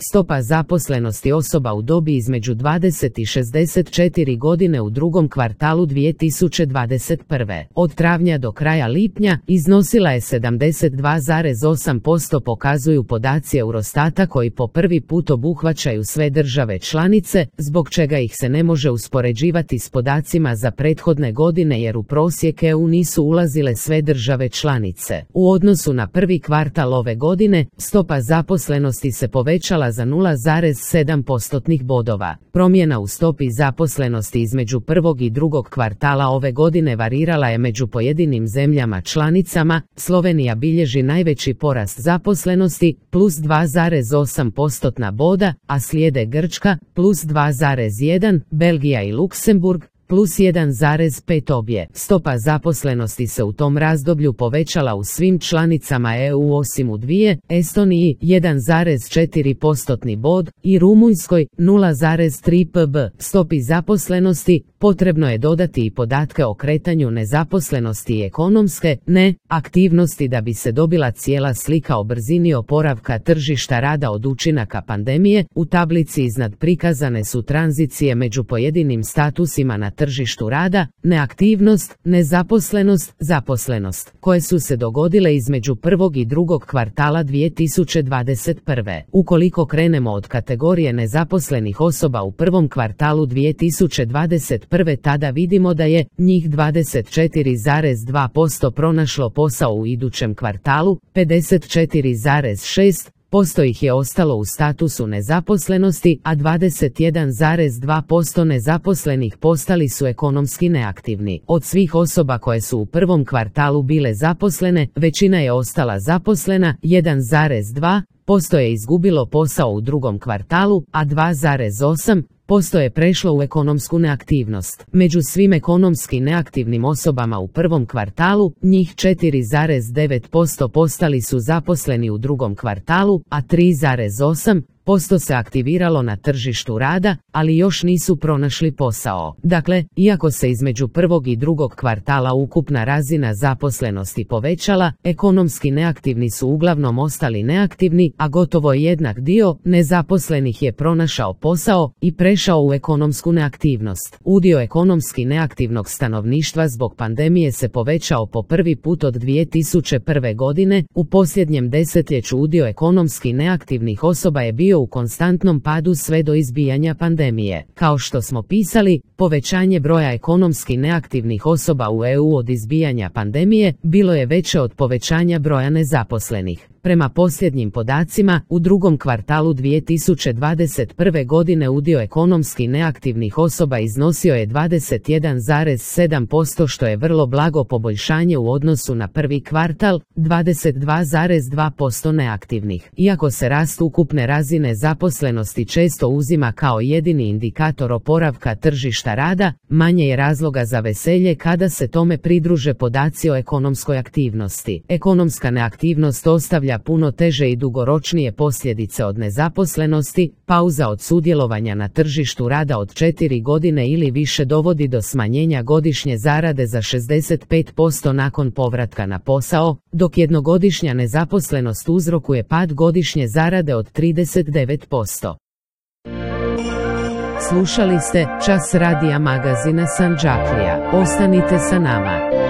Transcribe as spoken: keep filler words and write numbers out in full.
Stopa zaposlenosti osoba u dobi između dvadeset i šezdeset četiri godine u drugom kvartalu dvije tisuće dvadeset prve. Od travnja do kraja lipnja iznosila je sedamdeset dva zarez osam posto, pokazuju podaci Eurostata koji po prvi put obuhvaćaju sve države članice, zbog čega ih se ne može uspoređivati s podacima za prethodne godine jer u prosjek E U nisu ulazile sve države članice. U odnosu na prvi kvartal ove godine, stopa zaposlenosti se povećala za nula zarez sedam postotnih bodova. Promjena u stopi zaposlenosti između prvog i drugog kvartala ove godine varirala je među pojedinim zemljama članicama. Slovenija bilježi najveći porast zaposlenosti, plus dva zarez osam postotna boda, a slijede Grčka, plus dva zarez jedan, Belgija i Luksemburg, plus jedan zarez pet obje. Stopa zaposlenosti se u tom razdoblju povećala u svim članicama E U osim u dvije, Estoniji jedan zarez četiri postotni bod i Rumunjskoj nula zarez tri posto. Stopi zaposlenosti potrebno je dodati i podatke o kretanju nezaposlenosti i ekonomske neaktivnosti da bi se dobila cijela slika o brzini oporavka tržišta rada od učinaka pandemije. U tablici iznad prikazane su tranzicije među pojedinim statusima na tržištu rada, neaktivnost, nezaposlenost, zaposlenost, koje su se dogodile između prvog i drugog kvartala dvije tisuće dvadeset prve. Ukoliko krenemo od kategorije nezaposlenih osoba u prvom kvartalu dvije tisuće dvadeset prve, tada vidimo da je njih dvadeset četiri zarez dva posto pronašlo posao u idućem kvartalu, pedeset četiri zarez šest posto ih je ostalo u statusu nezaposlenosti, a dvadeset jedan zarez dva posto nezaposlenih postali su ekonomski neaktivni. Od svih osoba koje su u prvom kvartalu bile zaposlene, većina je ostala zaposlena, jedan zarez dva posto je izgubilo posao u drugom kvartalu, a dva zarez osam posto je prešlo u ekonomsku neaktivnost. Među svim ekonomski neaktivnim osobama u prvom kvartalu, njih četiri zarez devet posto postali su zaposleni u drugom kvartalu, a tri zarez osam posto se aktiviralo na tržištu rada, ali još nisu pronašli posao. Dakle, iako se između prvog i drugog kvartala ukupna razina zaposlenosti povećala, ekonomski neaktivni su uglavnom ostali neaktivni, a gotovo jednak dio nezaposlenih je pronašao posao i prešao u ekonomsku neaktivnost. Udio ekonomski neaktivnog stanovništva zbog pandemije se povećao po prvi put od dvije tisuće prve godine. U posljednjem desetljeću udio ekonomski neaktivnih osoba je bio u konstantnom padu sve do izbijanja pandemije. Kao što smo pisali, povećanje broja ekonomski neaktivnih osoba u E U od izbijanja pandemije bilo je veće od povećanja broja nezaposlenih. Prema posljednjim podacima, u drugom kvartalu dvije tisuće dvadeset prve godine udio ekonomski neaktivnih osoba iznosio je dvadeset jedan zarez sedam posto, što je vrlo blago poboljšanje u odnosu na prvi kvartal, dvadeset dva zarez dva posto neaktivnih. Iako se rast ukupne razine zaposlenosti često uzima kao jedini indikator oporavka tržišta rada, manje je razloga za veselje kada se tome pridruže podaci o ekonomskoj aktivnosti. Ekonomska neaktivnost ostavlja puno teže i dugoročnije posljedice od nezaposlenosti. Pauza od sudjelovanja na tržištu rada od četiri godine ili više dovodi do smanjenja godišnje zarade za šezdeset pet posto nakon povratka na posao, dok jednogodišnja nezaposlenost uzrokuje pad godišnje zarade od trideset devet posto. Slušali ste Čas radija magazina Sandžaklija. Ostanite sa nama.